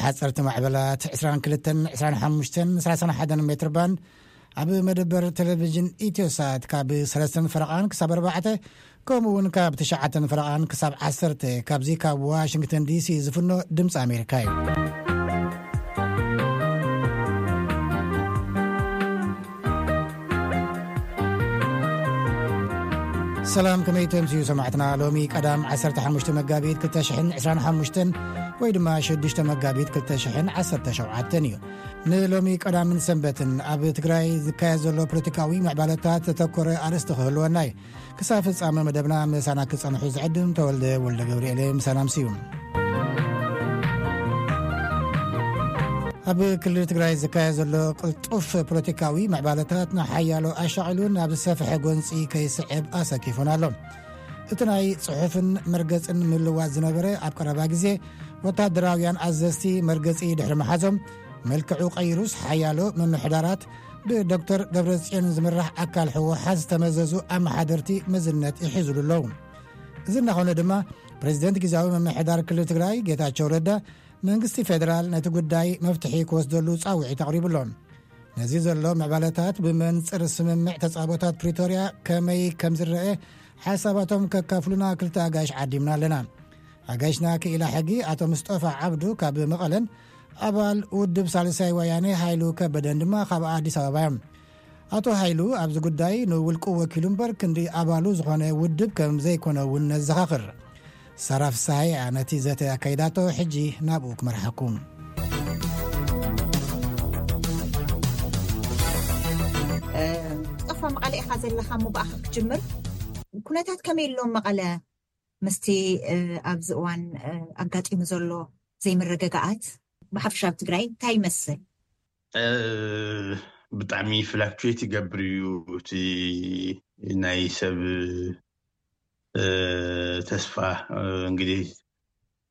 ሓፀርቲ ማዕበላት ዕስራን ክልተን ዕስራን ሓሙሽተን ሰላሳን ሓደን ሜትር ባንድ፣ ኣብ መደበር ቴሌቪዥን ኢትዮ ሳት ካብ ሰለስተን ፈረቓን ክሳብ ኣርባዕተ፣ ከምኡ እውን ካብ ትሽዓተን ፈረቓን ክሳብ ዓሰርተ፣ ካብዚ ካብ ዋሽንግተን ዲሲ ዝፍኖ ድምፂ ኣሜሪካ እዩ። ሰላም፣ ከመይ ተምስዩ ሰማዕትና? ሎሚ ቀዳም ዓሰርተ ሓሙሽተ መጋቢት ክልተ ሽሕን ዕስራን ሓሙሽተን ወይ ድማ ሽዱሽተ መጋቢት ክልተ ሽሕን ዓሰርተ ሸውዓተን እዩ። ንሎሚ ቀዳምን ሰንበትን ኣብ ትግራይ ዝካየድ ዘሎ ፖለቲካዊ ምዕባለታት ዘተኮረ ኣርእስቲ ክህልወና እዩ። ክሳብ ፍጻመ መደብና ምሳና ክጸንሑ ዝዕድም ተወልደ ወልደ ገብርኤል ምሳና ኣምስዩ። ኣብ ክልል ትግራይ ዝካየድ ዘሎ ቅልጡፍ ፖለቲካዊ ምዕባለታት ንሓያሎ ኣሻቒሉ ናብ ዝሰፍሐ ጎንፂ ከይስዕብ ኣሰኪፉን ኣሎ። እቲ ናይ ጽሑፍን መርገጽን ምልዋጥ ዝነበረ ኣብ ቀረባ ግዜ ወታደራውያን ኣዘዝቲ መርገጺ ድሕሪ መሓዞም፣ መልክዑ ቀይሩስ ሓያሎ ምምሕዳራት ብዶክተር ደብረጽዮን ዝምራሕ ኣካል ህወሓት ዝተመዘዙ ኣመሓደርቲ መዝነት ይሕዙሉ ኣለዉ። እዚ እናኾነ ድማ ፕሬዚደንት ግዜያዊ ምምሕዳር ክልል ትግራይ ጌታቸው ረዳ መንግስቲ ፌደራል ነቲ ጉዳይ መፍትሒ ክወስደሉ ጻውዒት ኣቕሪቡ ኣሎ። ነዚ ዘሎ ምዕባለታት ብመንጽር ስምምዕ ተጻቦታት ፕሪቶርያ ከመይ ከም ዝረአ ሓሳባቶም ከካፍሉና ክልተ ኣጋይሽ ዓዲምና ኣለና። ኣጋይሽና ክኢላ ሕጊ ኣቶ ምስጦፋ ዓብዱ ካብ መቐለን ኣባል ውድብ ሳልሳይ ወያኔ ሃይሉ ከበደን ድማ ካብ ኣዲስ ኣበባ እዮም። ኣቶ ሃይሉ ኣብዚ ጉዳይ ንውልቁ ወኪሉ እምበር ክንዲ ኣባሉ ዝኾነ ውድብ ከም ዘይኮነ እውን ነዘኻኽር። ሳራ ፍስሃየ እያ ነቲ ዘተ ኣካይዳቶ። ሕጂ ናብኡ ክመርሓኩም። ጠፋ መቐለ ኢኻ ዘለኻ እሞ ብኣኻ ክጅምር። ኩነታት ከመይ ኣሎ መቐለ? ምስቲ ኣብዚ እዋን ኣጋጢሙ ዘሎ ዘይምርግጋኣት ብሓፈሻ ኣብ ትግራይ እንታይ ይመስል? ብጣዕሚ ፍላክቹዌት ይገብር እዩ እቲ ናይ ሰብ ተስፋ። እንግዲህ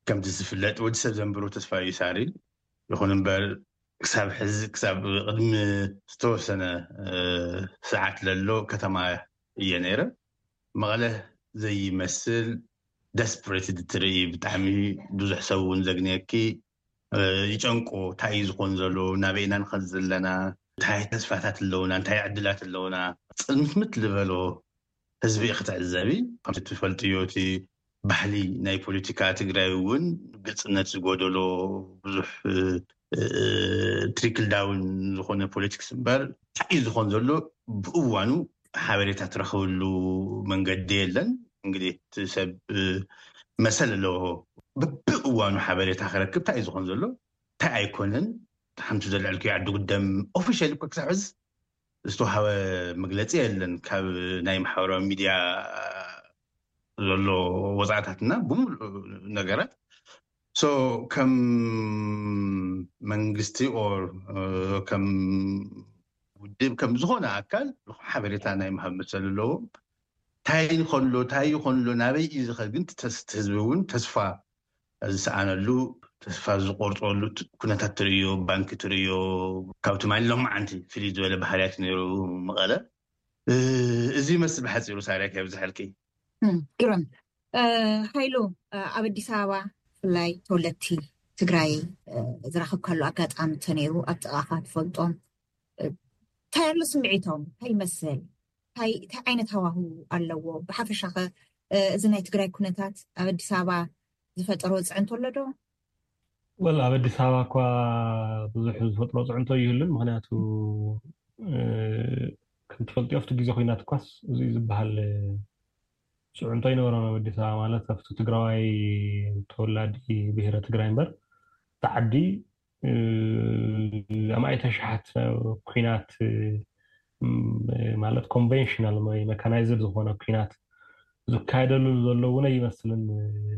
ከምቲ ዝፍለጥ ወዲ ሰብ ዘንብሮ ተስፋ እዩ ሳሪ። ይኹን እምበር ክሳብ ሕዚ ክሳብ ቅድሚ ዝተወሰነ ሰዓት ለሎ ከተማ እየ ነይረ። መቐለ ዘይመስል ደስፕሬትድ ትርኢ፣ ብጣዕሚ ብዙሕ ሰብ እውን ዘግንየኪ። ይጨንቆ፣ እንታይ እዩ ዝኾን ዘሎ፣ ናበይ ኢና ንኸድ ዘለና፣ እንታይ ተስፋታት ኣለውና፣ እንታይ ዕድላት ኣለውና፣ ፅልምትምት ዝበሎ ህዝቢ ክትዕዘቢ። ከምቲ ትፈልጥዮ እቲ ባህሊ ናይ ፖለቲካ ትግራይ እውን ግልፅነት ዝጎደሎ፣ ብዙሕ ትሪክል ዳውን ዝኾነ ፖለቲክስ እምበር እንታይ እዩ ዝኾን ዘሎ ብእዋኑ ሓበሬታ ትረኽብሉ መንገዲ የለን። እንግዲህ እቲ ሰብ መሰል ኣለዎ ብብእዋኑ ሓበሬታ ክረክብ እንታይ እዩ ዝኾን ዘሎ እንታይ ኣይኮነን። ሓንቲ ዘልዐልክዮ ዓዲ ጉደም ኦፊሻል እኮ ክሳብ ሕዚ ዝተዋሃበ መግለፂ የለን ካብ ናይ ማሕበራዊ ሚድያ ዘሎ ወፃእታትና ብምሉእ ነገራት። ሶ ከም መንግስቲ ኦር ከም ውድብ ከም ዝኾነ ኣካል ሓበሬታ ናይ ምሃብ መሰል ኣለዎም። እንታይ ንኸሎ እንታይ ይኾንሎ ናበይ እዩ ዝኸድ ግን ህዝቢ እውን ተስፋ ዝሰኣነሉ ተስፋ ዝቆርፀሉ ኩነታት ትርእዮ፣ ባንኪ ትርእዮ፣ ካብ ትማሊ ሎማዓንቲ ፍልይ ዝበለ ባህርያት ነይሩ መቐለ። እዚ ይመስል ብሓፂሩ ሳርያ ከብዝሐልኪ። ግርም። ሃይሉ፣ ኣብ ኣዲስ ኣበባ ብፍላይ ተወለድቲ ትግራይ ዝራኸብካሉ ኣጋጣሚ እንተነይሩ ኣብ ጥቓኻ ትፈልጦም እንታይ ኣሎ ስምዒቶም እንታይ ይመስል? እንታይ ዓይነት ሃዋህው ኣለዎ? ብሓፈሻኸ እዚ ናይ ትግራይ ኩነታት ኣብ ኣዲስ ኣበባ ዝፈጠሮ ፅዕንቶ ኣሎ ዶ? ወል ኣብ ኣዲስ ኣበባ እኳ ብዙሕ ዝፈጥሮ ፅዕንቶ ይህሉን ምክንያቱ ከም ትፈልጥዮ ኣብቲ ግዜ ኮይናት እኳስ እዚ ዝበሃል ፅዕንቶ ኣይነበረን ኣብ ኣዲስ ኣበባ ማለት ኣብቲ ትግራዋይ ተወላዲ ብሄረ ትግራይ እምበር እቲ ዓዲ ኣማኢተ ሸሓት ኩናት ማለት ኮንቨንሽናል ወይ መካናይዝድ ዝኾነ ኩናት ዝካየደሉ ዘሎ እውን ኣይመስልን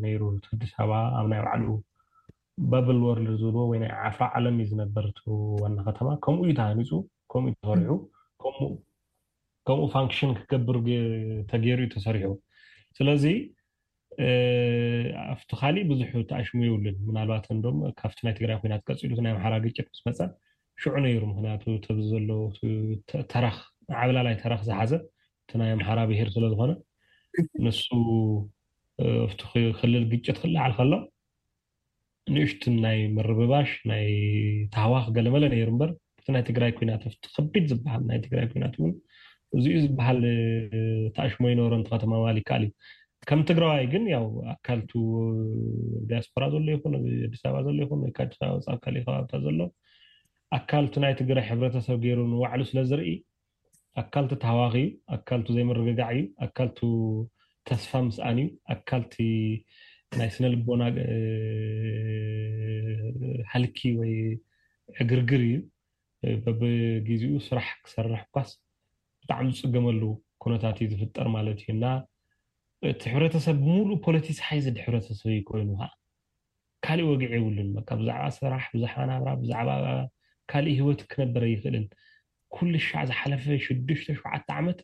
ነይሩ። እቲ ኣዲስ ኣበባ ኣብ ናይ ባዕሉ በብል ወርልድ ዝብልዎ ወይ ናይ ዓፍራ ዓለም እዩ ዝነበር እቲ ዋና ከተማ። ከምኡ እዩ ተሃኒፁ፣ ከምኡ እዩ ተሰሪሑ፣ ከምኡ ፋንክሽን ክገብር ተገይሩ እዩ ተሰሪሑ። ስለዚ ኣብቲ ካሊእ ብዙሕ ተኣሽሙ የብሉን። ምናልባት እንዶም ካብቲ ናይ ትግራይ ኩናት ቀፂሉ ናይ ኣምሓራ ግጭት ምስ መፀ ሽዑ ነይሩ። ምክንያቱ ተብዚ ዘሎ ተረኽ ዓብላላይ ተረኽ ዝሓዘ እቲ ናይ ኣምሓራ ብሄር ስለዝኾነ ንሱ ኣብቲ ክልል ግጭት ክለዓል ከሎ ንእሽትን ናይ ምርብባሽ ናይ ታህዋኽ ገለመለ ነይሩ እምበር እቲ ናይ ትግራይ ኩናት ኣብቲ ከቢድ ዝበሃል ናይ ትግራይ ኩናት እውን እዚኡ ዝበሃል ተኣሽሞ ይነበሮ እንተ ከተማማል ይከኣል እዩ። ከም ትግራዋይ ግን ያው ኣካልቱ ዲያስፖራ ዘሎ ይኹን ኣዲስ ኣበባ ዘሎ ይኹን ወይ ኣዲስ ኣበባ ወፃእ ካልእ ከባብታት ዘሎ ኣካልቱ ናይ ትግራይ ሕብረተሰብ ገይሩ ንባዕሉ ስለ ዝርኢ ኣካልቱ ተሃዋኺ እዩ፣ ኣካልቱ ዘይምርግጋዕ እዩ፣ ኣካልቱ ተስፋ ምስኣን እዩ፣ ኣካልቲ ናይ ስነ ልቦና ሃልኪ ወይ ዕግርግር እዩ። በብግዜኡ ስራሕ ክሰርሕ እኳስ ብጣዕሚ ዝፅገመሉ ኩነታት እዩ ዝፍጠር ማለት እዩ እና እቲ ሕብረተሰብ ብምሉእ ፖለቲሳይዝድ ሕብረተሰብ እዩ ኮይኑ ከዓ ካልእ ወግዒ የብሉን። በቃ ብዛዕባ ስራሕ፣ ብዛዕባ ናብራ፣ ብዛዕባ ካልእ ህይወት ክነብር ኣይኽእልን። ኩሉ ሻዕ ዝሓለፈ ሽዱሽተ ሸውዓተ ዓመት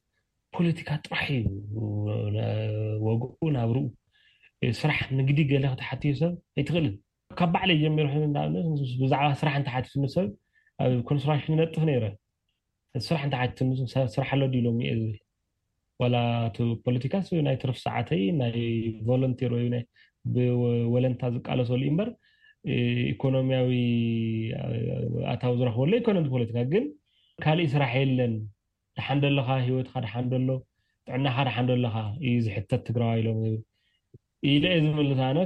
ፖለቲካ ጥራሕ እዩ ወግኡ ናብርኡ። ስራሕ ንግዲ ገለ ክትሓትዮ ሰብ ኣይትኽእልን። ካብ ባዕለይ ጀሚሩ ሕዚ ንኣብነት ብዛዕባ ስራሕ እንተሓቲትኒ ሰብ ኣብ ኮንስትራክሽን ይነጥፍ ነይረ። ስራሕ እንተሓቲትኒ ሰብ ስራሕ ኣሎ ድዩ ሎሚ እየ ዝብል። ዋላ እቲ ፖለቲካስ ናይ ትርፍ ሰዓተይ ናይ ቮለንቲር ወይ ናይ ብወለንታ ዝቃለሰሉ እዩ እምበር ኢኮኖሚያዊ ኣታዊ ዝረኽበሉ ኣይኮነን። ፖለቲካ ግን ካልእ ስራሕ የለን። ደሓን ደለኻ፣ ህይወትካ ደሓን ደሎ፣ ጥዕናኻ ደሓን ደለኻ እዩ ዝሕተት ትግራዋይ ኢሎም ኢለ እየ ዝምልስ። ኣነ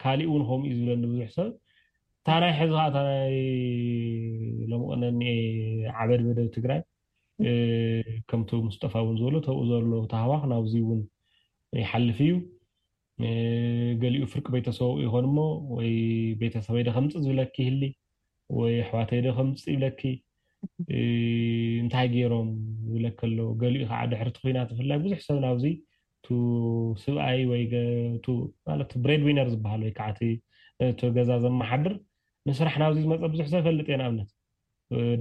ካልእ እውን ከምኡ እዩ ዝብለኒ ብዙሕ ሰብ። እታ ናይ ሕዚ ከዓ እታ ናይ ሎምቕነ እኒኤ ዓበድ በደብ ትግራይ ከምቲ ሙስጠፋ እውን ዝበሎ ተብኡ ዘሎ ተሃዋኽ ናብዚ እውን ይሓልፍ እዩ። ገሊኡ ፍርቂ ቤተሰቡ ይኾን እሞ ወይ ቤተሰበይ ዶ ከምፅእ ዝብለኪ ይህሊ ወይ ኣሕዋተይ ዶ ከምፅእ ይብለኪ እንታይ ገይሮም ይብለኪ ኣሎ። ገሊኡ ከዓ ድሕሪ እቲ ኲናት ብፍላይ ብዙሕ ሰብ ናብዚ ቱ ስብኣይ ወይ ማለት ብሬድ ዊነር ዝበሃል ወይ ከዓ እቲ ገዛ ዘመሓድር ንስራሕ ናብዚ ዝመፀ ብዙሕ ሰብ ይፈልጥ እየ። ንኣብነት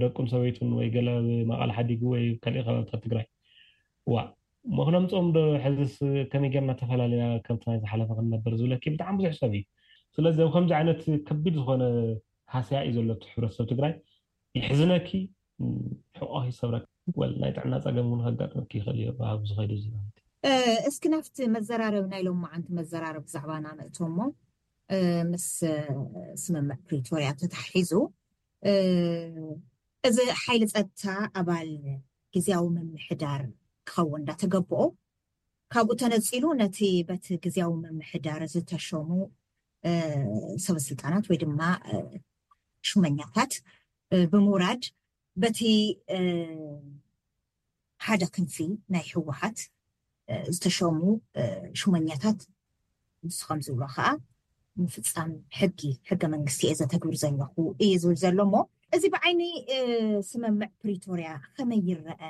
ደቁን ሰበይቱን ወይ ገለ መቐለ ሓዲጉ ወይ ካልእ ከባብታት ትግራይ ዋ ምክነምፅኦም ዶ ሕዝስ ከመይ ጌርና ተፈላለና ከምቲ ናይ ዝሓለፈ ክንነብር ዝብለኪ ብጣዕሚ ብዙሕ ሰብ እዩ። ስለዚ ኣብ ከምዚ ዓይነት ከቢድ ዝኾነ ሃስያ እዩ ዘሎ እቲ ሕብረተሰብ ትግራይ። ይሕዝነኪ ሕቆ ይሰብረኪ ወል ናይ ጥዕና ፀገም እውን ከጋጥመኪ ይኽእል እዩ ኣብ ዝኸይዱ ዝናት። እስኪ ናብቲ መዘራረብ ናይ ሎማዓንቲ መዘራረብ ብዛዕባና ንእቶ እሞ ምስ ስምምዕ ፕሪቶርያ ተታሒዙ እዚ ሓይሊ ፀጥታ ኣባል ግዝያዊ ምምሕዳር ክኸውን እንዳተገብኦ ካብኡ ተነፂሉ ነቲ በቲ ግዝያዊ ምምሕዳር ዝተሸሙ ሰበስልጣናት ወይ ድማ ሹመኛታት ብምውራድ በቲ ሓደ ክንፊ ናይ ህወሓት ዝተሸሙ ሹመኛታት ንሱ ከም ዝብሎ ከዓ ምፍፃም ሕጊ ሕገ መንግስቲ እየ ዘተግብር ዘለኹ እዩ ዝብል ዘሎ እሞ እዚ ብዓይኒ ስምምዕ ፕሪቶርያ ከመይ ይረአ?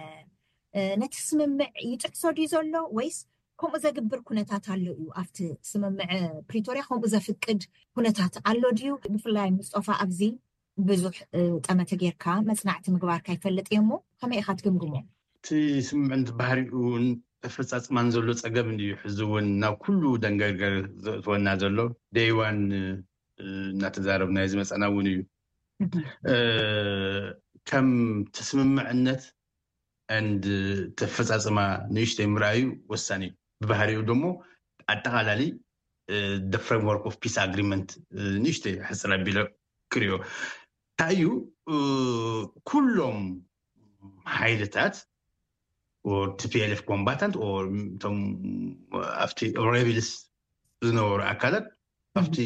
ነቲ ስምምዕ ይጥሕሶ ድዩ ዘሎ ወይስ ከምኡ ዘግብር ኩነታት ኣሎ እዩ? ኣብቲ ስምምዕ ፕሪቶርያ ከምኡ ዘፍቅድ ኩነታት ኣሎ ድዩ? ብፍላይ ሙስጦፋ ኣብዚ ብዙሕ ጠመተ ጌርካ መፅናዕቲ ምግባርካ ይፈልጥ እየ እሞ ከመይ ኢኻ ትግምግሞ? እቲ ስምምዕ ባህሪኡ ኣፈፃፅማን ዘሎ ፀገም እዩ። ሕዚ እውን ናብ ኩሉ ደንገርገር ዘእትወና ዘሎ ደይዋን እናተዛረብናዮ ዝመፀና እውን እዩ። ከም ተስምምዕነት and ተፈፃፅማ ንእሽተይ ምርኣዩ ወሳኒ እዩ። ብባህሪኡ ደሞ ኣጠቓላሊ the framework of peace agreement ንእሽተይ ሕፅር ኣቢለ ክሪኦ እንታይ እዩ ኩሎም ሓይልታት or T P L F combatant or እቶም ኣብቲ rebels ዝነበሩ ኣካላት ኣብቲ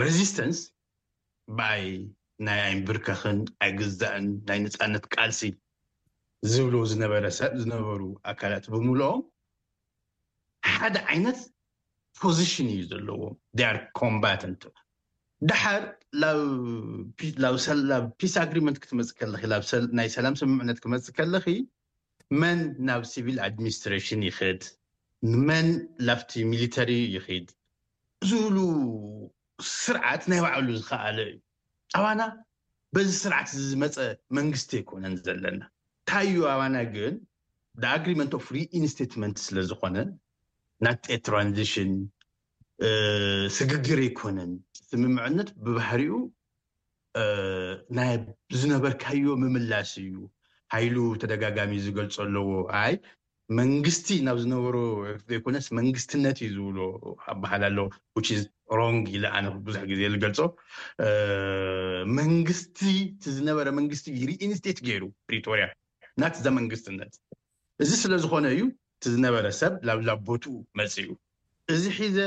resistance ብኣይ ናይ ኣይንብርከኽን ኣይግዛእን ናይ ነፃነት ቃልሲ ዝብሉ ዝነበረ ሰብ ዝነበሩ ኣካላት ብምልኦም ሓደ ዓይነት position እዩ ዘለዎም። They are combatant። ደሓር ናብ peace agreement ክትመፅእ ከለኺ ናይ ሰላም ስምምዕነት ክመፅእ ከለኺ መን ናብ civil administration ይኽድ፣ መን ላብቲ ሚሊተሪ ይኽድ ዝብሉ ስርዓት ናይ ባዕሉ ዝኸኣለ እዩ። ኣባና በዚ ስርዓት ዝመፀ መንግስቲ ኣይኮነን ዘለና። እንታይ እዩ ኣባና ግን the agreement of reinstatement ስለ ዝኾነ not a transition ስግግር ኣይኮነን። ስምምዕነት ብባህሪኡ ናይ ዝነበርካዮ ምምላስ እዩ። ሃይሉ ተደጋጋሚ ዝገልፆ ኣለዎ ኣይ መንግስቲ ናብ ዝነበሮ ዘይኮነስ መንግስትነት እዩ ዝብሎ ኣባሃል ኣሎ። Which is wrong ኢለ ኣነ ብዙሕ ግዜ ዝገልጾ። መንግስቲ እቲ ዝነበረ መንግስቲ ሪኢንስቴት ገይሩ ፕሪቶሪያ ናት ዘ መንግስትነት። እዚ ስለ ዝኾነ እዩ እቲ ዝነበረ ሰብ ናብ ናብ ቦትኡ መፅኡ። እዚ ሒዘ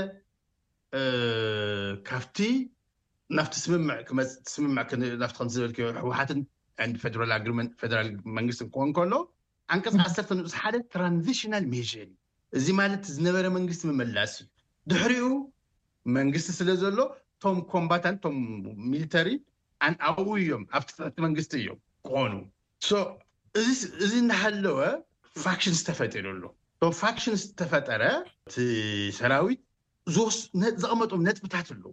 ካብቲ ናብቲ ስምምዕ ክመፅእ ስምምዕ ናብቲ ከምቲ ዝበልክዮ ህወሓትን ፈደራል ኣግሪመንት ፈደራል መንግስትን ክኾን ከሎ ዓንቀፅ ዓሰርተ ንኡስ ሓደ ትራንዚሽናል ሜር እዩ። እዚ ማለት ዝነበረ መንግስቲ ምምላስ እዩ። ድሕሪኡ መንግስቲ ስለ ዘሎ እቶም ኮምባታንት እቶም ሚሊተሪ ኣብኡ እዮም ኣብቲ ትሕቲ መንግስቲ እዮም ክኾኑ። እዚ እናሃለወ ፋክሽን ዝተፈጢሩ ኣሎ። ቶም ፋክሽን ዝተፈጠረ እቲ ሰራዊት ዘቐመጦም ነጥብታት ኣለዉ።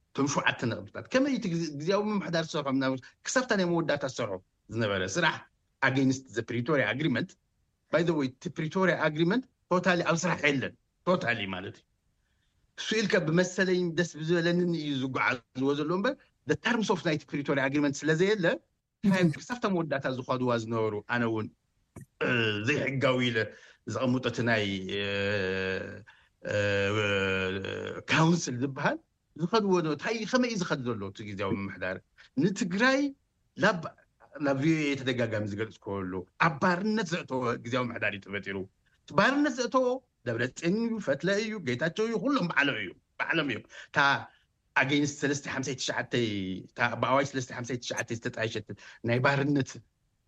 እቶም ሸውዓተ ነጥብታት ከመይ እቲ ግዜያዊ ምምሕዳር ዝሰርሖም ክሳብታ ናይ መወዳእታ ዝሰርሖ ዝነበረ ስራሕ ኣገይንስት ዘ ፕሪቶሪያ ኣግሪመንት። ባይ ዘ ወይ እቲ ፕሪቶሪያ ኣግሪመንት ቶታሊ ኣብ ስራሕ የለን። ቶታሊ ማለት እዩ እሱ ኢልከ ብመሰለኝ ደስ ብዝበለንን እዩ ዝጓዓዝዎ ዘሎ እምበር ተርምስ ኦፍ ናይቲ ፕሪቶሪያ ኣግሪመንት ስለዘየለ ክሳብታ መወዳእታ ዝኸድዋ ዝነበሩ ኣነ እውን ዘይሕጋዊ ኢለ ዘቐምጦ እቲ ናይ ካውንስል ዝበሃል ዝኸድዎ ዶ እንታይ ከመይ እዩ ዝኸድ ዘሎ እቲ ግዜያዊ ምምሕዳር ንትግራይ ናብ ናብ ቪኦኤ ተደጋጋሚ ዝገልፅ ከሎ ኣብ ባርነት ዘእተወ ግዜያዊ ምምሕዳር እዩ ተፈጢሩ። እቲ ባርነት ዘእተዎ ደብረፅዮን እዩ፣ ፈትለ እዩ፣ ጌታቸው እዩ፣ ኩሎም ባዕሎም እዩ ባዕሎም እዮም። እታ ኣገይንስት ሰለስተ ሓምሳይ ትሽዓተ ብኣዋጅ ሰለስተ ሓምሳይ ትሽዓተ ዝተጣየሸት ናይ ባርነት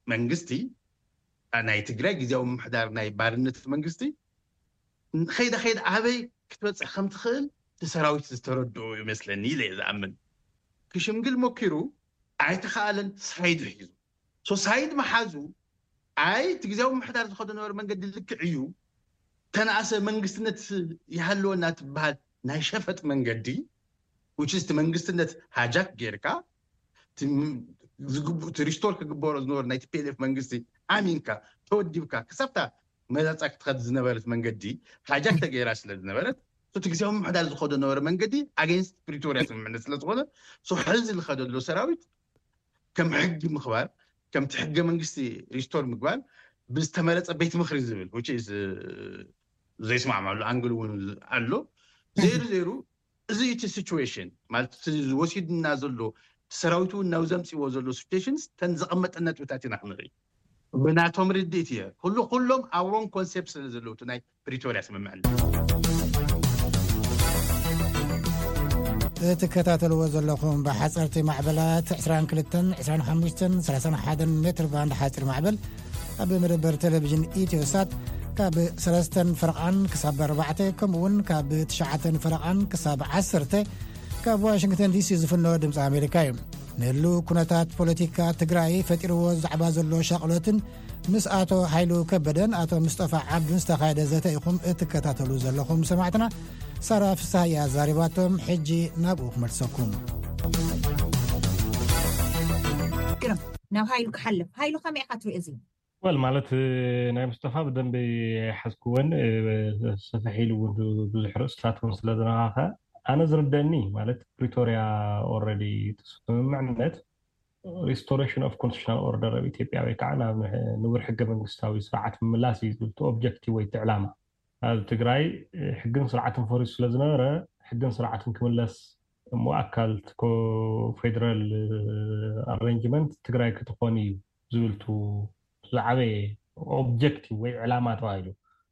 መንግስቲ ናይ ትግራይ ግዜያዊ ምምሕዳር ናይ ባርነት መንግስቲ ከይዳ ከይዳ ኣበይ ክትበፅሕ ከም ትኽእል እቲ ሰራዊት ዝተረድኦ ይመስለኒ ኢለ እየ ዝኣምን። ክሽምግል ሞኪሩ ኣይተኸኣለን። ሳይድ ሒዙ ሶ ሳይድ መሓዙ ኣይ እቲ ግዜያዊ ምምሕዳር ዝኸዶ ነበረ መንገዲ ልክዕ እዩ። ተነኣሰ መንግስትነት ይሃልወና ትበሃል ናይ ሸፈጥ መንገዲ ውችስቲ መንግስትነት ሃጃክ ጌርካ ሪስቶር ክግበሮ ዝነበሩ ናይ ቲፒኤልኤፍ መንግስቲ ኣሚንካ ተወዲብካ ክሳብታ መዛፃ ክትኸድ ዝነበረት መንገዲ ሃጃክ ተገይራ ስለ ዝነበረት እቲ ግዜያዊ ምምሕዳር ዝኸዶ ነበረ መንገዲ ኣገይንስት ፕሪቶሪያ ስምምዕነት ስለዝኾነ ሕዚ ዝኸደሎ ሰራዊት ከም ሕጊ ምኽባር ከምቲ ሕገ መንግስቲ ሪስቶር ምግባር ብዝተመረፀ ቤት ምኽሪ ዝብል ዘይስማዕማሉ ኣንግል እውን ኣሎ። ዘይሩ ዘይሩ እዚ እቲ ሲቹዌሽን ማለት ወሲድና ዘሎ ሰራዊት እውን ናብ ዘምፅዎ ዘሎ ሲቹዌሽንስ ተን ዘቐመጠ ነጥብታት ኢና ክንርኢ ብናቶም ርድኢት እየ ኩሉ ኩሎም ኣብ ሮንግ ኮንሴፕት ስለ ዘለዉ ናይ ፕሪቶሪያ ስምምዕነት። እትከታተልዎ ዘለኹም ብሓፀርቲ ማዕበላት ዕስራን ክልተን ዕስራን ሓሙሽተን ሰላሳን ሓደን ሜትር ባንድ ሓፂር ማዕበል ኣብ መደበር ቴሌቪዥን ኢትዮሳት ካብ ሰለስተን ፈረቓን ክሳብ ኣርባዕተ ከምኡ እውን ካብ ትሽዓተን ፈረቓን ክሳብ ዓሰርተ ካብ ዋሽንግተን ዲሲ ዝፍኖ ድምፂ ኣሜሪካ እዩ። ንህሉ ኩነታት ፖለቲካ ትግራይ ፈጢርዎ ዛዕባ ዘሎ ሻቕሎትን ምስ ኣቶ ሓይሉ ከበደን ኣቶ ምስጠፋ ዓብዱን ዝተኻየደ ዘተ ኢኹም እትከታተሉ ዘለኹም ሰማዕትና። ሳራ ፍስሃ እያ ኣዛሪባቶም። ሕጂ ናብኡ ክመልሰኩም። ግርም ናብ ሃይሉ ክሓልፍ። ሃይሉ ከመይ ኢኻ ትርኢ እዚ? ወል ማለት ናይ ምስጠፋ ብደንቢ ሓዝክወን ሰፍሕ ኢሉ እውን ብዙሕ ርእስታት እውን ስለ ዝነኻኸ ኣነ ዝርደኒ ማለት ፕሪቶሪያ ኦረዲ ስምምዕነት ሪስቶሬሽን ኦፍ ኮንስቲቱሽናል ኦርደር ኣብ ኢትዮጵያ ወይ ከዓ ናብ ንቡር ሕገ መንግስታዊ ስርዓት ምምላስ እዩ ዝብል ኦብጀክቲቭ ወይ ዕላማ ኣብ ትግራይ ሕግን ስርዓትን ፈሪሱ ስለ ዝነበረ ሕግን ስርዓትን ክምለስ እሞ ኣካል ፌደራል ኣሬንጅመንት ትግራይ ክትኾን እዩ ዝብልቱ ዝዓበየ ኦብጀክቲቭ ወይ ዕላማ ተባሂሉ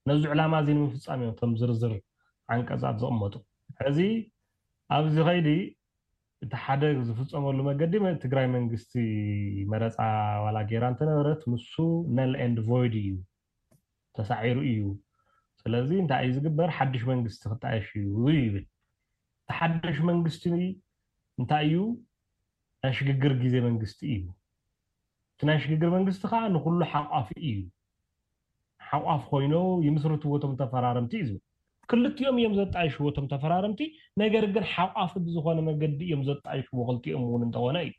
ነዚ ዕላማ እዚ ንምፍፃም እዮም እቶም ዝርዝር ዓንቀፃት ዘቕመጡ። ሕዚ ኣብዚ ኸይዲ እቲ ሓደ ዝፍፀመሉ መገዲ ትግራይ መንግስቲ መረፃ ዋላ ጌራ እንተነበረት ንሱ ነል ኤንድ ቮይድ እዩ ተሳዒሩ እዩ። ስለዚ እንታይ እዩ ዝግበር ሓድሽ መንግስቲ ክጣየሽ እዩ ይብል። እቲ ሓድሽ መንግስቲ እንታይ እዩ ናይ ሽግግር ግዜ መንግስቲ እዩ። እቲ ናይ ሽግግር መንግስቲ ከዓ ንኩሉ ሓቋፊ እዩ። ሓቋፍ ኮይኑ ይምስርትዎ እቶም ተፈራረምቲ እዩ ዝብል። ክልቲኦም እዮም ዘጣይሽዎ እቶም ተፈራረምቲ። ነገር ግን ሓቋፊ ብዝኾነ መገዲ እዮም ዘጣይሽዎ ክልቲኦም እውን እንተኾነ እዩ።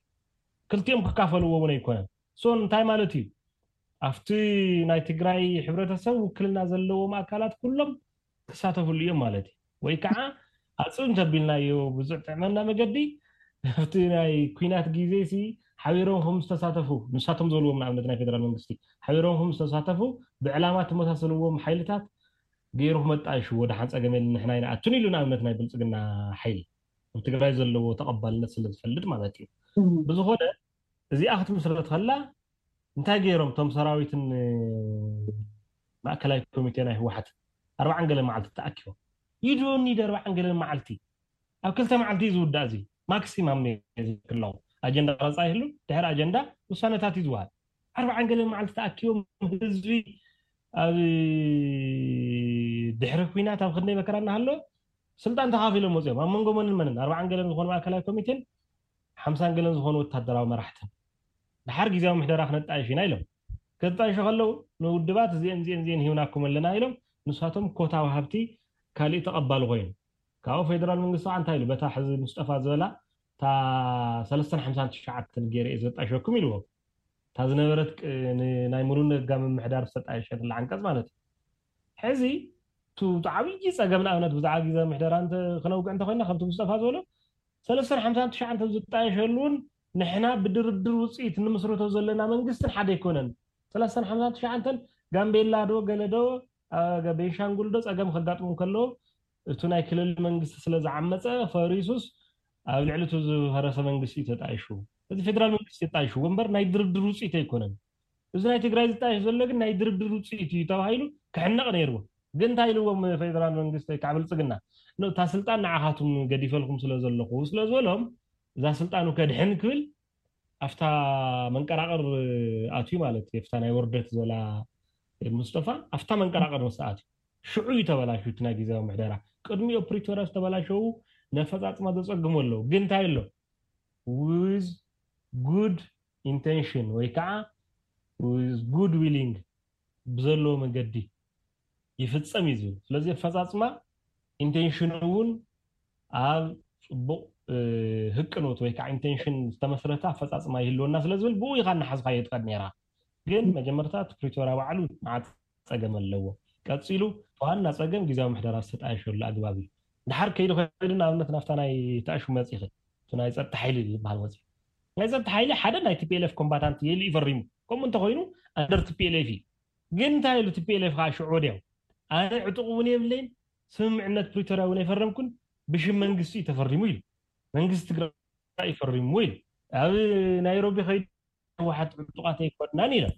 ክልቲኦም ክካፈልዎ እውን ኣይኮነን። ሶ እንታይ ማለት እዩ? ኣብቲ ናይ ትግራይ ሕብረተሰብ ውክልና ዘለዎም ኣካላት ኩሎም ክሳተፍሉ እዮም ማለት እዩ። ወይ ከዓ ኣፅብ እንተቢልናዮ ብዝጥዕመና መገዲ ኣብቲ ናይ ኩናት ግዜ ሲ ሓቢሮም ከም ዝተሳተፉ፣ ንሳቶም ዝበልዎም፣ ንኣብነት ናይ ፌደራል መንግስቲ ሓቢሮም ከም ዝተሳተፉ፣ ብዕላማ ተመሳሰልዎም ሓይልታት ገይሩ ክመጣ ይሽዎ። ደሓን ጸገም የለን፣ ንሕና ኣይንኣቱን ኢሉ፣ ንኣብነት ናይ ብልጽግና ሓይሊ ኣብ ትግራይ ዘለዎ ተቐባልነት ስለ ዝፈልጥ ማለት እዩ። ብዝኾነ እዚኣ ክትምስረት ከላ እንታይ ገይሮም? እቶም ሰራዊትን ማእከላይ ኮሚቴ ናይ ህወሓት ኣርባዓን ገለ መዓልቲ ተኣኪቦም፣ ይድወኒ ደ ኣርባዓን ገለ መዓልቲ፣ ኣብ ክልተ መዓልቲ እዩ ዝውዳእ። እዚ ማክሲማም ክለው ኣጀንዳ ቀረፃ ይህሉ፣ ድሕሪ ኣጀንዳ ውሳነታት እዩ ዝወሃብ። ኣርባዓን ገለ መዓልቲ ተኣኪቦም ህዝቢ ኣብ ድሕሪ ኩናት ኣብ ክንደይ መከራ እናሃሎ ስልጣን ተኻፊሎም መፅኦም። ኣብ መንጎ መንን መንን? ኣርባዓን ገለን ዝኾኑ ማእከላይ ኮሚቴን ሓምሳን ገለን ዝኾኑ ወታደራዊ መራሕትን። ድሓር ግዜያዊ ምሕደራ ክነጣይሽ ኢና ኢሎም። ከጣይሹ ከለዉ ንውድባት እዚአን እዚአን እዚአን ሂብናኩም ኣለና ኢሎም። ንሳቶም ኮታ ወሃብቲ ካሊእ ተቐባሊ ኮይኑ። ካብኡ ፌደራል መንግስቲ ከዓ እንታይ ኢሉ? በታ ሕዚ ሙስጠፋ ዝበላ እታ ሰለስተን ሓምሳን ትሽዓተን ገይረ እየ ዘጣይሸኩም ኢልዎም። እታ ዝነበረት ቅ-፣ ን-፣ ናይ ሙሉእ ነጋ ምምሕዳር ዝተጣየሸትላ ዓንቀጽ ማለት እዩ። ሕዚ እቲ ዓብዪ ጸገም ንኣብነት ብዛዕባ ግዜ ምሕደራ እንተ-፣ ክነውግዕ እንተኮይና ከምቲ ሙስጠፋ ዝበሎ ሰለስተን ሓምሳን ትሽዓተን ዝጣየሸሉ እውን ንሕና ብድርድር ውፅኢት ንምስርቶ ዘለና መንግስትን ሓደ ኣይኮነን። ሰለስተን ሓምሳን ትሽዓተን ጋምቤላ ዶ ገለ ዶ፣ አ፣ ገ-፣ ቤንሻንጉል ዶ ጸገም ከጋጥሞም ከሎ እቲ ናይ ክልል መንግስቲ ስለ ዝዓመፀ ፈሪሱስ ኣብ ልዕሊ እቲ ዝፈረሰ መንግስቲ እዩ ተጣይሹ። እዚ ፌደራል መንግስቲ ተጣይሹ እምበር ናይ ድርድር ውፅኢት ኣይኮነን። እዚ ናይ ትግራይ ዝጣየሽ ዘሎ ግን ናይ ድርድር ውፅኢት እዩ ተባሂሉ ክሕነቕ ነይርዎ። ግን እንታይ ኢልዎም ፌደራል መንግስቲ ወይ ከዓ ብልፅግና? ኖ፣ እታ ስልጣን ንዓኻትም ገዲፈልኩም ስለ ዘለኹ ስለ ዝበሎም እዛ ስልጣኑ ከድሕን ክብል ኣብታ መንቀራቕር ኣትዩ ማለት እዩ። ኣብታ ናይ ውርደት ዘላ ሙስጠፋ ኣብታ መንቀራቕር ምስ ኣትዩ ሽዑ እዩ ተበላሹ እቲ ናይ ግዜያዊ ምሕደራ። ቅድሚኡ ፕሪቶርያ ዝተበላሸዉ ነፈፃፅማ ዘፀግሙ ኣለዉ። ግን እንታይ ኣሎ? With good intention ወይ ከዓ with good willing ብዘለዎ መገዲ ይፍፀም እዩ ዝብል። ስለዚ ኣፈፃፅማ ኢንቴንሽን እውን ኣብ ፅቡቕ፣ እ፣ ህቅኖት ወይ ከዓ ኢንቴንሽን ዝተመስረተ ኣፈፃፅማ ይህልወና ስለ ዝብል ብኡ ኢኻ እናሓዝካዮ ትኸድ ነይራ። ግን መጀመርታ እቲ ፕሪቶርያ ባዕሉ መዓት ጸገም ኣለዎ። ቀጺሉ ዋና ጸገም ግዜያዊ ምሕደራ ዝተጣየሸሉ ኣግባብ እዩ። ድሓር ከይዱ ከይዱ ንኣብነት ናብታ ናይ ተኣሹ መጺኺ፣ እቲ ናይ ጸጥታ ሓይሊ ዝበሃል መጺ። ናይ ጸጥታ ሓይሊ ሓደ ናይ ቲ ፒ ኤል ኤፍ ኮምባታንት የሉ እዩ ፈሪሙ። ከምኡ እንተኾይኑ ኣንደር ቲ ፒ ኤል ኤፍ እዩ። ግን እንታይ ኢሉ ቲ ፒ ኤል ኤፍ ከዓ ሽዑ ወዲያው ኣነ ዕጡቕ እውን የብለይን፣ ስምምዕነት ፕሪቶርያ እውን ኣይፈረምኩን፣ ብሽም መንግስቲ እዩ ተፈሪሙ ኢሉ። መንግስቲ ትግራይ እዩ ፈሪሙ ኢሉ። ኣብ ናይሮቢ ከይዱ ህወሓት ዕጡቓት ኣይኮናን ኢሎም።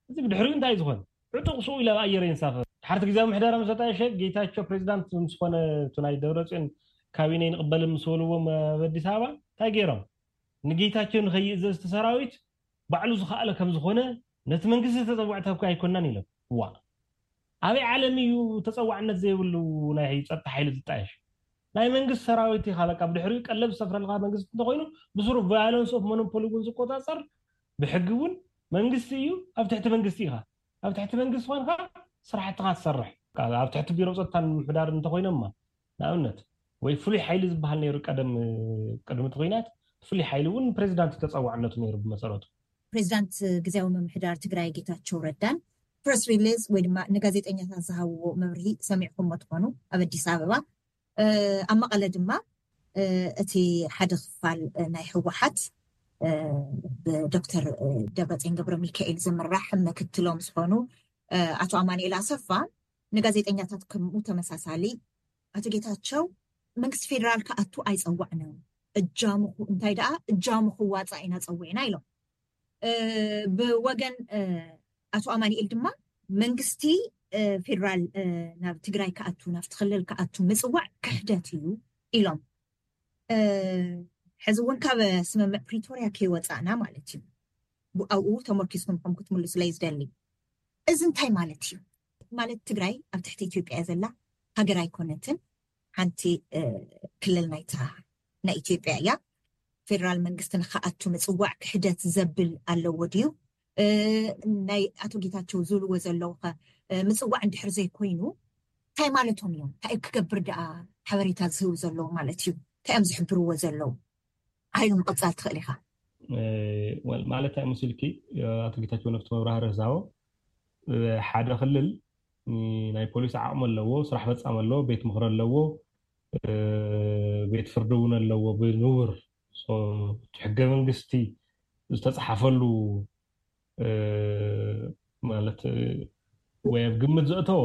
እዚ ብድሕሪኡ እንታይ ዝኾነ? ዕጡቕ ስኡ ኢሉ ኣብ ኣየር የንሳፈፍ። ድሓርቲ ግዜያዊ ምሕደራ ምስ ኣጣየሸ ጌታቸው ፕሬዚዳንት ምስ ኮነ እቲ ናይ ደብረፅዮን ካቢነ ይንቕበልን ምስ በልዎም ኣብ ኣዲስ ኣበባ እንታይ ገይሮም? ንጌታቸው ንኸይእዘዝ እቲ ሰራዊት ባዕሉ ዝኸኣለ ከም ዝኾነ ነቲ መንግስቲ ተፀዋዕቲ እኳ ኣይኮናን ኢሎም። ዋ ኣበይ ዓለም እዩ ተፀዋዕነት ዘይብሉ ናይ ፀጥታ ሓይሊ ዝጣየሽ? ናይ መንግስቲ ሰራዊት ኢኻ በቃ ብድሕሪኡ ቀለብ ዝሰፍረልካ መንግስቲ እንተኾይኑ ብስሩ ቫዮለንስ ኦፍ ሞኖፖሊ እውን ዝቆፃፀር ብሕጊ እውን መንግስቲ እዩ፣ ኣብ ትሕቲ መንግስቲ ኢኻ። ኣብ ትሕቲ መንግስቲ ኮንካ ስራሕትኻ ትሰርሕ። ኣብ ትሕቲ ቢሮ ፀጥታን ምሕዳር እንተኮይኖማ ንኣብነት ወይ ፍሉይ ሓይሊ ዝበሃል ነይሩ ቀደም ቅድሚ እቲ ኩናት ፍሉይ ሓይሊ እውን ፕሬዚዳንት ተፀዋዕነቱ ነይሩ ብመሰረቱ። ፕሬዚዳንት ግዜያዊ ምምሕዳር ትግራይ ጌታቸው ረዳን ፕረስ ሪሊዝ ወይ ድማ ንጋዜጠኛታት ዝሃብዎ መብርሂ ሰሚዕኩሞ ትኾኑ ኣብ ኣዲስ ኣበባ ኣብ መቐለ ድማ እቲ ሓደ ክፋል ናይ ህወሓት ብዶክተር ደብረፅዮን ገብረ ሚካኤል ዝምራሕ ምክትሎም ዝኾኑ ኣቶ ኣማኑኤል ኣሰፋ ንጋዜጠኛታት ከምኡ ተመሳሳሊ ኣቶ ጌታቸው መንግስቲ ፌደራል ክኣቱ ኣይፀዋዕናን እጃምኹ እንታይ ደኣ እጃምኹ ዋፃ ኢና ፀዊዕና ኢሎም። ብወገን ኣቶ ኣማኑኤል ድማ መንግስቲ ፌደራል ናብ ትግራይ ክኣቱ ናብቲ ክልል ክኣቱ ምፅዋዕ ክሕደት እዩ ኢሎም። ሕዚ እውን ካብ ስምምዕ ፕሪቶርያ ከይወፃእና ማለት እዩ። ኣብኡ ተመርኪስኩም ከም ክትምልሱለይ ዝደሊ። እዚ እንታይ ማለት እዩ? ማለት ትግራይ ኣብ ትሕቲ ኢትዮጵያ እያ ዘላ፣ ሃገር ኣይኮነትን፣ ሓንቲ ክልል ናይታ ናይ ኢትዮጵያ እያ። ፌደራል መንግስቲ ንክኣቱ ምፅዋዕ ክሕደት ዘብል ኣለዎ ድዩ? ናይ ኣቶ ጌታቸው ዝብልዎ ዘለዉ ኸ ምፅዋዕ እንድሕር ዘይኮይኑ እንታይ ማለቶም እዮም? እንታይ ክገብር ደኣ ሓበሬታ ዝህቡ ዘለዉ ማለት እዩ? እንታይ እዮም ዝሕብርዎ ዘለዉ? ሓይሉ ምቕፃል ትኽእል ኢኻ። ማለት እንታይ መሲልኪ ኣቶ ጌታቸው ነፍቲ መብራህርህ ዝሃቦ ሓደ ክልል ናይ ፖሊስ ዓቕሚ ኣለዎ፣ ስራሕ ፈፃሚ ኣለዎ፣ ቤት ምኽሪ ኣለዎ፣ ቤት ፍርዲ እውን ኣለዎ ብንቡር ሕገ መንግስቲ ዝተፃሓፈሉ ማለት ወይ ኣብ ግምት ዘእተዎ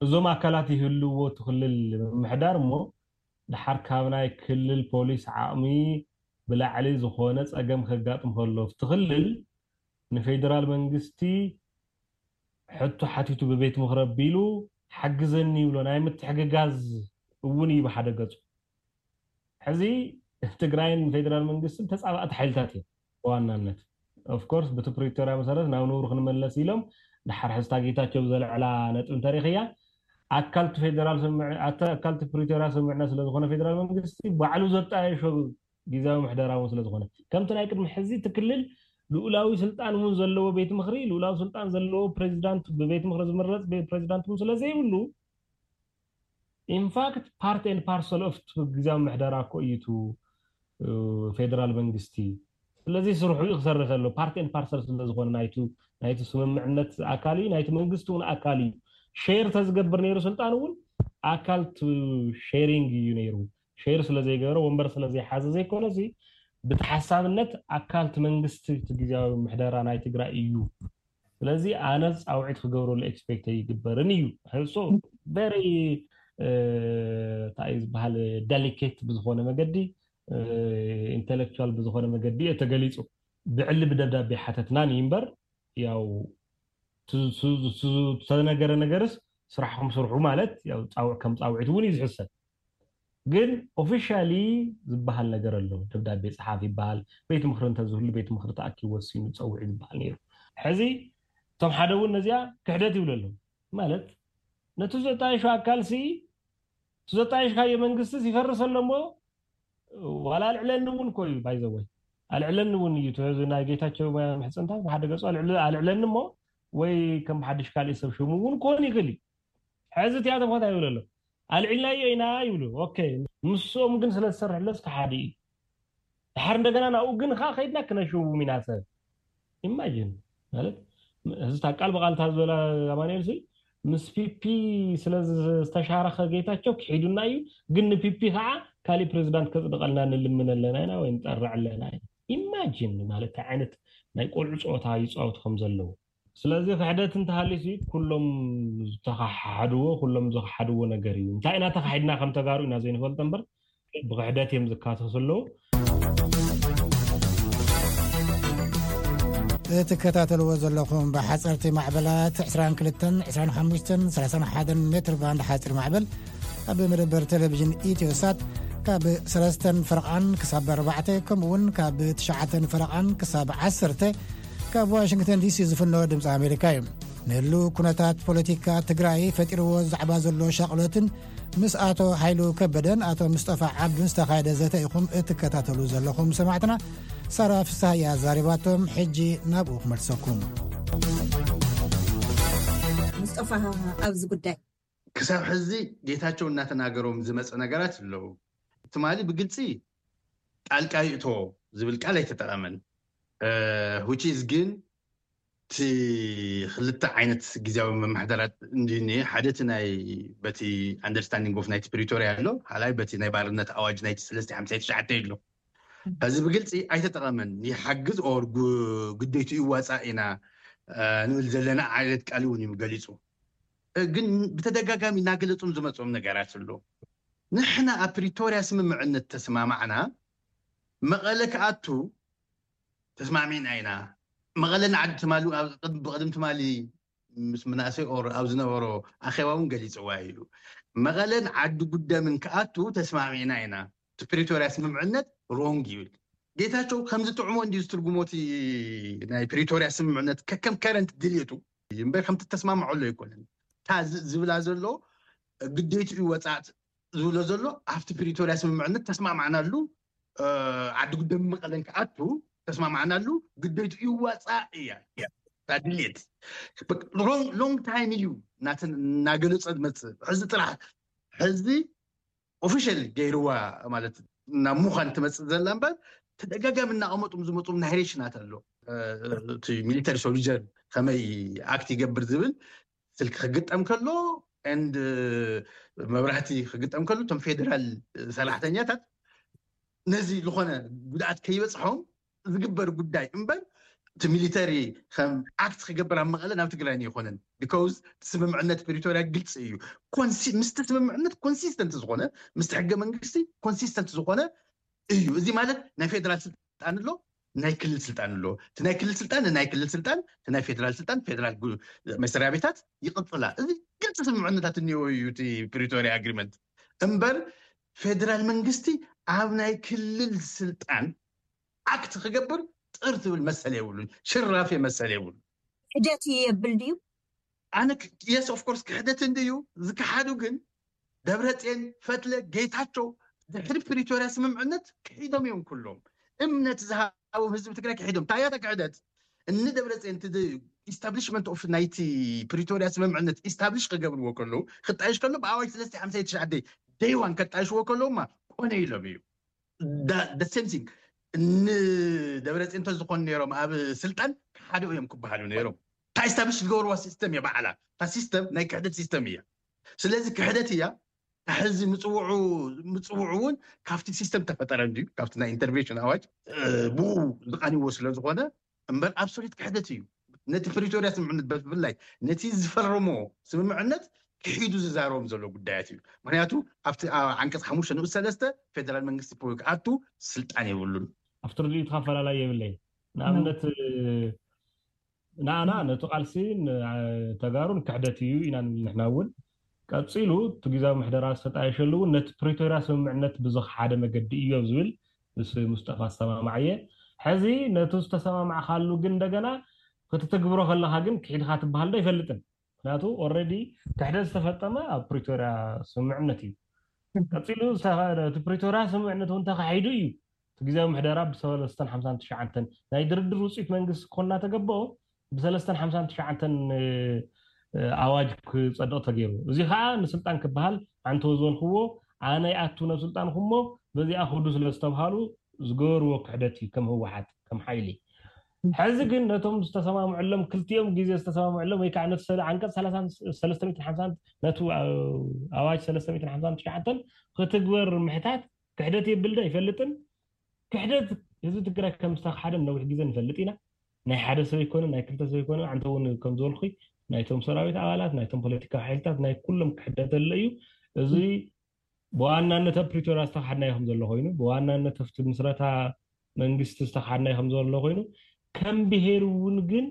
እዞም ኣካላት ይህልዎ እቲ ክልል ምምሕዳር እሞ ድሓር ካብ ናይ ክልል ፖሊስ ዓቕሚ ብላዕሊ ዝኾነ ፀገም ከጋጥም ከሎ እቲ ክልል ንፌደራል መንግስቲ ሕቶ ሓቲቱ ብቤት ምኽሪ ኣቢሉ ሓግዘኒ ይብሎ ናይ ምትሕግጋዝ እውን እዩ ብሓደ ገፁ። ሕዚ ትግራይን ፌደራል መንግስትን ተፃባእቲ ሓይልታት እዮም ብዋናነት። ኦፍኮርስ ብቲ ፕሪቶርያ መሰረት ናብ ንቡር ክንመለስ ኢሎም ድሓር ሕዝታ ጌታቸው ብዘልዕላ ነጥቢ እንተሪኽያ ኣካልቲ ፌደራል ኣካልቲ ፕሪቶርያ ስምምዕነት ስለዝኾነ ፌደራል መንግስቲ ባዕሉ ዘጣየሾ ግዜያዊ ምሕደራ እውን ስለዝኾነ ከምቲ ናይ ቅድሚ ሕዚ እቲ ክልል ልኡላዊ ስልጣን እውን ዘለዎ ቤት ምኽሪ ልኡላዊ ስልጣን ዘለዎ ፕሬዚዳንት ብቤት ምኽሪ ዝምረፅ ፕሬዚዳንት እውን ስለዘይብሉ ኢንፋክት ፓርት ኤንድ ፓርሰል ኦፍ ግዜያዊ ምሕደራ እኮ እዩ ፌደራል መንግስቲ። ስለዚ ስርሑ እዩ ክሰርሕ ዘሎ ፓርት ኤንድ ፓርሰል ስለዝኾነ ናይቲ ስምምዕነት ኣካል እዩ ናይቲ መንግስቲ እውን ኣካል እዩ። ሼር ተዝገብር ነይሩ ስልጣን እውን ኣካል ቱ ሼሪንግ እዩ ነይሩ። ሼር ስለዘይገበረ ወንበር ስለዘይሓዘ ዘይኮነ እዚ ብተሓሳብነት ኣካል እቲ መንግስቲ እቲ ግዜያዊ ምሕደራ ናይ ትግራይ እዩ። ስለዚ ኣነ ፃውዒት ክገብረሉ ኤክስፔክት ኣይግበርን እዩ። ሕሶ ቨሪ እንታይ ዝበሃል ደሊኬት ብዝኾነ መገዲ ኢንቴሌክቹዋል ብዝኾነ መገዲ እየ ተገሊፁ። ብዕሊ ብደብዳቤ ሓተትናን እዩ እምበር ያው ዝተነገረ ነገርስ ስራሕኩም ስርሑ ማለት ከም ፃውዒት እውን እዩ ዝሕሰብ። ግን ኦፊሻሊ ዝበሃል ነገር ኣሎ። ደብዳቤ ፀሓፍ ይበሃል። ቤት ምክሪ እንተዝህሉ ቤት ምክሪ ተኣኪቡ ወሲኑ ፀውዒ ዝበሃል ነይሩ። ሕዚ እቶም ሓደ እውን ነዚኣ ክሕደት ይብሉ ኣለዉ። ማለት ነቲ ዘጣየሹ ኣካል ሲ እቲ ዘጣየሽካዮ መንግስቲ ይፈርስ ኣሎ እሞ ዋላ ኣልዕለኒ እውን እኮ እዩ ባይዘወይ ኣልዕለኒ እውን እዩ። እዚ ናይ ጌታቸው ምሕፅንታ ብሓደ ገፁ ኣልዕለኒ እሞ ወይ ከም ብሓድሽ ካልእ ሰብ ሽሙ እውን ክኾን ይኽእል እዩ። ሕዚ እቲኣቶም ከታ ይብሉ ኣሎ ኣልዒልናዮ ኢና ይብሉ። ኦኬ ምስኦም ግን ስለ ዝሰርሕለስ ክሓዲ እዩ። ድሓር እንደገና ናብኡ ግን ከዓ ከይድና ክነሽውም ኢና ሰብ ኢማጂን ማለት እዚ ቃል ብቃል እታ ዝበላ ኣማኑኤል ሲ ምስ ፒፒ ስለ ዝተሻረኸ ጌታቸው ክሒዱና እዩ። ግን ንፒፒ ከዓ ካሊእ ፕሬዚዳንት ከፅድቀልና ንልምን ኣለና ኢና ወይ ንጠርዕ ኣለና ኢና። ኢማጂን ማለት እንታይ ዓይነት ናይ ቆልዑ ፀወታ ይፃወቱ ከም ዘለዉ። ስለዚ ክሕደት እንተሃልዩ ሲ ኩሎም ዝተኸሓድዎ ኩሎም ዝኸሓድዎ ነገር እዩ። እንታይ ኢና ተኻሒድና ከም ተጋሩ ኢና ዘይንፈልጦ እምበር ብክሕደት እዮም ዝካሰሱ ኣለዉ። እትከታተልዎ ዘለኹም ብሓፀርቲ ማዕበላት ዕስራን ክልተን ዕስራን ሓሙሽተን ሰላሳን ሓደን ሜትር ባንድ ሓፂር ማዕበል ኣብ መደበር ቴሌቪዥን ኢትዮሳት ካብ ሰለስተን ፈረቓን ክሳብ ኣርባዕተ ከምኡ እውን ካብ ትሽዓተን ፈረቓን ክሳብ ዓሰርተ ካብ ዋሽንግተን ዲሲ ዝፍኖ ድምፂ ኣሜሪካ እዩ። ንህሉ ኩነታት ፖለቲካ ትግራይ ፈጢርዎ ዛዕባ ዘሎ ሻቕሎትን ምስ ኣቶ ሓይሉ ከበደን ኣቶ ምስጠፋ ዓብዱን ዝተኻየደ ዘተ ኢኹም እትከታተሉ ዘለኹም ሰማዕትና። ሳራ ፍስሃያ ዛሪባቶም። ሕጂ ናብኡ ክመልሰኩም። ምስጠፋ ኣብዚ ጉዳይ ክሳብ ሕዚ ጌታቸው እናተናገሮም ዝመፀ ነገራት ኣለዉ። ትማሊ ብግልፂ ጣልቃ ይእቶ ዝብል ቃል ኣይተጠቐመን። which is ግን እቲ ክልተ ዓይነት ግዜያዊ መማሕደራት እንድዩ እኒሀ። ሓደ እቲ ናይ በቲ understanding of ናይቲ ፕሪቶርያ ኣሎ፣ ካልኣይ በቲ ናይ ባርነት ኣዋጅ ናይቲ ሰለስተ ሓምሳ ትሽዓተ ኣሎ። እዚ ብግልፂ ኣይተጠቐመን። ይሓግዝ or ግደይቱ ይዋፃእ ኢና ንብል ዘለና ዓይነት ቃል እውን እዩ ገሊፁ። ግን ብተደጋጋሚ እናገለፁም ዝመፅኦም ነገራት ኣሎ። ንሕና ኣብ ፕሪቶርያ ስምምዕነት ተስማማዕና መቐለ ክኣቱ ተስማሚዕና ኢና። መቐለ ንዓዲ ትማሊ ብቕድሚ ትማሊ ምስ መናእሰይ ኦር ኣብ ዝነበሮ ኣኼባ እውን ገሊፅዋ ኢሉ። መቐለን ዓዲ ጉደምን ክኣቱ ተስማሚዕና ኢና። እቲ ፕሪቶርያ ስምምዕነት ሮንግ ይብል። ጌታቸው ከምዚ ጥዕሞ እንዲ ዝትርጉሞ እቲ ናይ ፕሪቶርያ ስምምዕነት ከከም ከረንት ድልየቱ እምበር ከምቲ ተስማምዐሉ ኣይኮነን። እታ ዝብላ ዘሎ ግዴትኡ ይወፃእ ዝብሎ ዘሎ ኣብቲ ፕሪቶርያ ስምምዕነት ተስማማዕናሉ ዓዲ ጉደም መቐለን ክኣቱ ተስማማዕናሉ ግዴትኡ ይወፃእ እያ እታ ድልየት። ሎንግ ታይም እዩ እናገለፀ ዝመፅእ። ሕዚ ጥራሕ ሕዚ ኦፊሻል ገይርዋ ማለት ናብ ምዃን ትመፅእ ዘላ እምበር ተደጋጋሚ እናቐመጡም ዝመፁም ናሬሽናት ኣሎ። እቲ ሚሊተሪ ሶልጀር ከመይ ኣክት ይገብር ዝብል ስልኪ ክግጠም ከሎ ኤንድ መብራህቲ ክግጠም ከሎ እቶም ፌደራል ሰራሕተኛታት ነዚ ዝኾነ ጉድኣት ከይበፅሖም ዝግበር ጉዳይ እምበር፣ እቲ ሚሊተሪ ከም ኣክት ክገብር ኣብ መቐለ ናብ ትግራይ ኣይኮነን። ቢካውዝ ስምምዕነት ፕሪቶርያ ግልፂ እዩ። ኮንሲ- ምስቲ ስምምዕነት ኮንሲስተንት ዝኾነ፣ ምስቲ ሕገ መንግስቲ ኮንሲስተንት ዝኾነ እዩ። እዚ ማለት ናይ ፌደራል ስልጣን ኣሎ፣ ናይ ክልል ስልጣን ኣሎ። እቲ ናይ ክልል ስልጣን ናይ ክልል ስልጣን፣ እቲ ናይ ፌደራል ስልጣን ፌደራል ጉ- መስሪያ ቤታት ይቕፅላ። እዚ ግልፂ ስምምዕነታት እኒኦ እዩ እቲ ፕሪቶርያ ኣግሪመንት። እምበር ፌደራል መንግስቲ ኣብ ናይ ክልል ስልጣን ኣክት ክገብር ጥር ትብል መሰል የብሉን። ሽራፌ መሰል የብሉን። ሕደት እዩ የብል ድዩ? ኣነ የስ ኦፍ ኮርስ ክሕደት እንድዩ ዝከሓዱ። ግን ደብረፅዮን፣ ፈትለ፣ ጌታቸው ድሕሪ ፕሪቶርያ ስምምዕነት ክሒዶም እዮም። ኩሎም እምነት ዝሃቦም ህዝቢ ትግራይ ክሒዶም። ታያታ ክሕደት እኒ ደብረፅዮን ቲ ኢስታብሊሽመንት ኦፍ ናይቲ ፕሪቶርያ ስምምዕነት ኢስታብሊሽ ክገብርዎ ከለዉ፣ ክጣይሽ ከሎ ብኣዋጅ ሰለስተ ሓምሳ ትሽዓተ ደይዋን ከጣይሽዎ ከለዉማ ኮነ ኢሎም እዩ። ደሴም ሲንግ ንደብረፅዮን እንተዝኾኑ ነይሮም ኣብ ስልጣን ሓደ እዮም ክበሃሉ ነይሮም። እታ ኢስታብሊሽ ዝገበርዋ ሲስተም እያ ባዕላ። እታ ሲስተም ናይ ክሕደት ሲስተም እያ። ስለዚ ክሕደት እያ። ሕዚ ምፅውዑ ምፅውዑ እውን ካብቲ ሲስተም ተፈጠረ እንድዩ፣ ካብቲ ናይ ኢንተርቬንሽን ኣዋጅ ብኡ ዝቃንዎ ስለ ዝኾነ እምበር ኣብሶሉት ክሕደት እዩ። ነቲ ፕሪቶርያ ስምምዕነት ብፍላይ ነቲ ዝፈረሞ ስምምዕነት ክሒዱ ዝዛረቦም ዘሎ ጉዳያት እዩ። ምክንያቱ ኣብቲ ዓንቀፅ ሓሙሽተ ንኡስ ሰለስተ ፌደራል መንግስቲ ክኣቱ ስልጣን የብሉን። ኣብቲ ርድኢትካ ኣፈላላይ የብለይ። ንኣብነት ንኣና ነቲ ቃልሲ ተጋሩን ክሕደት እዩ ኢና ንብል ንሕና እውን። ቀፂሉ እቲ ግዛዊ ምሕደራ ዝተጣየሸሉ እውን ነቲ ፕሪቶርያ ስምምዕነት ብዝኸሓደ መገዲ እዩ ዝብል ምስ ሙስጠፋ ዝሰማማዕ እየ። ሕዚ ነቲ ዝተሰማማዕካሉ ግን እንደገና ክትትግብሮ ከለካ ግን ክሒድካ ትበሃል ዶ ኣይፈልጥን። ምክንያቱ ኦረዲ ክሕደት ዝተፈጠመ ኣብ ፕሪቶርያ ስምምዕነት እዩ። ቀፂሉ እቲ ፕሪቶርያ ስምምዕነት እውን ተካሒዱ እዩ። እቲ ግዜያዊ ምሕደራ ብሰለስተን ሓምሳን ትሽዓተን ናይ ድርድር ውፅኢት መንግስቲ ክኾን እናተገበኦ ብሰለስተን ሓምሳን ትሽዓተን ኣዋጅ ክፀድቕ ተገይሩ። እዚ ከዓ ንስልጣን ክበሃል ኣንተው ዝበልክዎ ኣነ ይኣቱ ናብ ስልጣን ክሞ በዚኣ ክዱ ስለ ዝተብሃሉ ዝገበርዎ ክሕደት እዩ ከም ህወሓት ከም ሓይሊ። ሕዚ ግን ነቶም ዝተሰማምዐሎም ክልቲኦም ግዜ ዝተሰማምዐሎም ወይ ከዓ ነቲ ሰለ- ዓንቀፅ ሰለስተ ሓምሳ ነቲ ኣዋጅ ሰለስተ ሓምሳ ትሽዓተ ክትግበር ምሕታት ክሕደት የብል ዶ ኣይፈልጥን። ክሕደት ህዝቢ ትግራይ ከም ዝተክሓደ ነዊሕ ግዜ ንፈልጥ ኢና። ናይ ሓደ ሰብ ኣይኮነ ናይ ክልተ ሰብ ኣይኮነ ኣንተ እውን ከም ዝበልኩ ናይቶም ሰራዊት ኣባላት ናይቶም ፖለቲካዊ ሓይልታት ናይ ኩሎም ክሕደት ኣሎ እዩ። እዚ ብዋናነት ኣብ ፕሪቶርያ ዝተካሓድናዮ ከም ዘሎ ኮይኑ ብዋናነት ኣብቲ ምስረታ መንግስቲ ዝተካሓድናዮ ከም ዘሎ ኮይኑ ከም ብሄር እውን ግን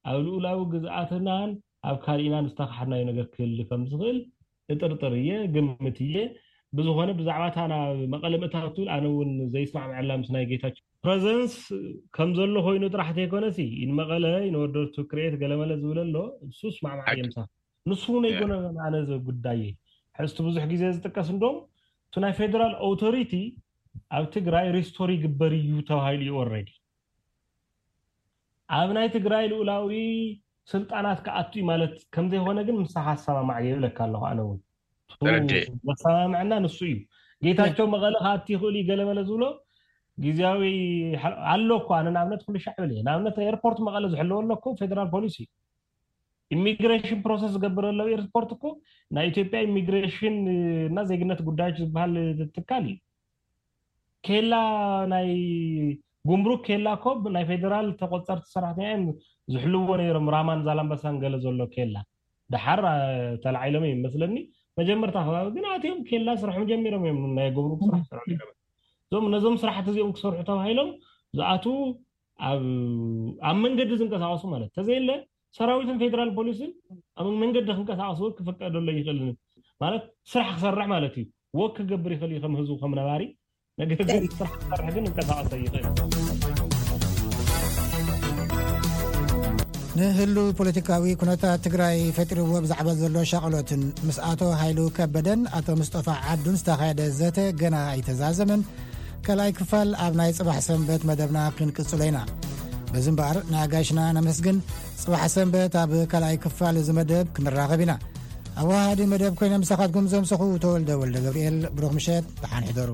ኣብ ልኡላዊ ግዝኣትናን ኣብ ካልኢናን ዝተካሓድናዮ ነገር ክህሊ ከም ዝኽእል እጥርጥር እየ ግምት እየ። ብዝኾነ ብዛዕባ እታ ናብ መቐለ ምእታው ትብል ኣነ እውን ዘይስማዕመዐላ ምስ ናይ ጌታቸው ፕረዘንስ ከም ዘሎ ኮይኑ ጥራሕ ተይኮነሲ ኢን መቐለ ዩኒቨርሲቲ ክሬት ገለመለ ዝብል ኣሎ እሱ ስማዕማዕ እየ ምሳኻ። ንሱ እውን ኣይኮነን ኣነ እዚ ጉዳይ ሕዝቲ ብዙሕ ግዜ ዝጥቀስ እንዶም እቲ ናይ ፌደራል ኦቶሪቲ ኣብ ትግራይ ሪስቶር ይግበር እዩ ተባሂሉ እዩ ኦረዲ ኣብ ናይ ትግራይ ልኡላዊ ስልጣናት ክኣቱ እዩ ማለት ከምዘይኮነ ግን ምሳኻ ኣሰማማዕ እየ ይብለካ ኣለኹ ኣነ እውን። እሱ ተረድኤ። ዘሰማምዐና ንሱ እዩ። ጌታቸው መቐለ ክኣቲ ይኽእል እዩ ገለመለ ዝብሎ ግዜያዊ ሓ- ኣሎ እኮ ኣነ ንኣብነት ኩሉ ሻዕ ይብል እየ ንኣብነት ኤርፖርት መቐለ ዝሕለወ ኣሎ እኮ ፌደራል ፖሊስ እዩ። ኢሚግሬሽን ፕሮሰስ ዝገብር ዘሎ ኤርፖርት እኮ ናይ ኢትዮጵያ ኢሚግሬሽን እና ዜግነት ጉዳዮች ዝበሃል ትካል እዩ። ኬላ ናይ ጉምሩክ ኬላ እኮ ናይ ፌደራል ተቆፀርቲ ሰራሕተኛ እዮም ዝሕልዎ ነይሮም። ራማን ዛላምበሳን ገለ ዘሎ ኬላ ድሓር ተላዓሎም እዮም መስለኒ። መጀመርታ ከባቢ ግን ኣትዮም ኬላ ስርሖም ጀሚሮም እዮም ናይ ጉምሩክ ስራሕ ስርሑ ነይሮም። እዞም ነዞም ስራሕቲ እዚኦም ክሰርሑ ተባሂሎም ዝኣትዉ ኣብ ኣብ መንገዲ ዝንቀሳቀሱ ማለት ተዘየለ ሰራዊትን ፌደራል ፖሊስን ኣብ መንገዲ ክንቀሳቀሱ ክፍቀደሎ ይኽእል ማለት ስራሕ ክሰርሕ ማለት እዩ። ወክ ክገብር ይኽእል እዩ ከም ህዝቡ ከም ነባሪ ነገር ግን ስራሕ ክሰርሕ ግን እንቀሳቀሶ ይኽእል። ንህሉ ፖለቲካዊ ኩነታት ትግራይ ፈጢርዎ ብዛዕባ ዘሎ ሻቕሎትን ምስ ኣቶ ሃይሉ ከበደን ኣቶ ምስጠፋ ዓዱን ዝተኻየደ ዘተ ገና ኣይተዛዘመን። ካልኣይ ክፋል ኣብ ናይ ፅባሕ ሰንበት መደብና ክንቅፅሎ ኢና። በዚ እምበኣር ንኣጋይሽና ነመስግን። ፅባሕ ሰንበት ኣብ ካልኣይ ክፋል እዚ መደብ ክንራኸብ ኢና። ኣወሃሃዲ መደብ ኮይነ ምሳኻትኩም ዘምሰኹ ተወልደ ወልደ ገብርኤል። ብሩኽ ምሸት፣ ደሓን ሕደሩ።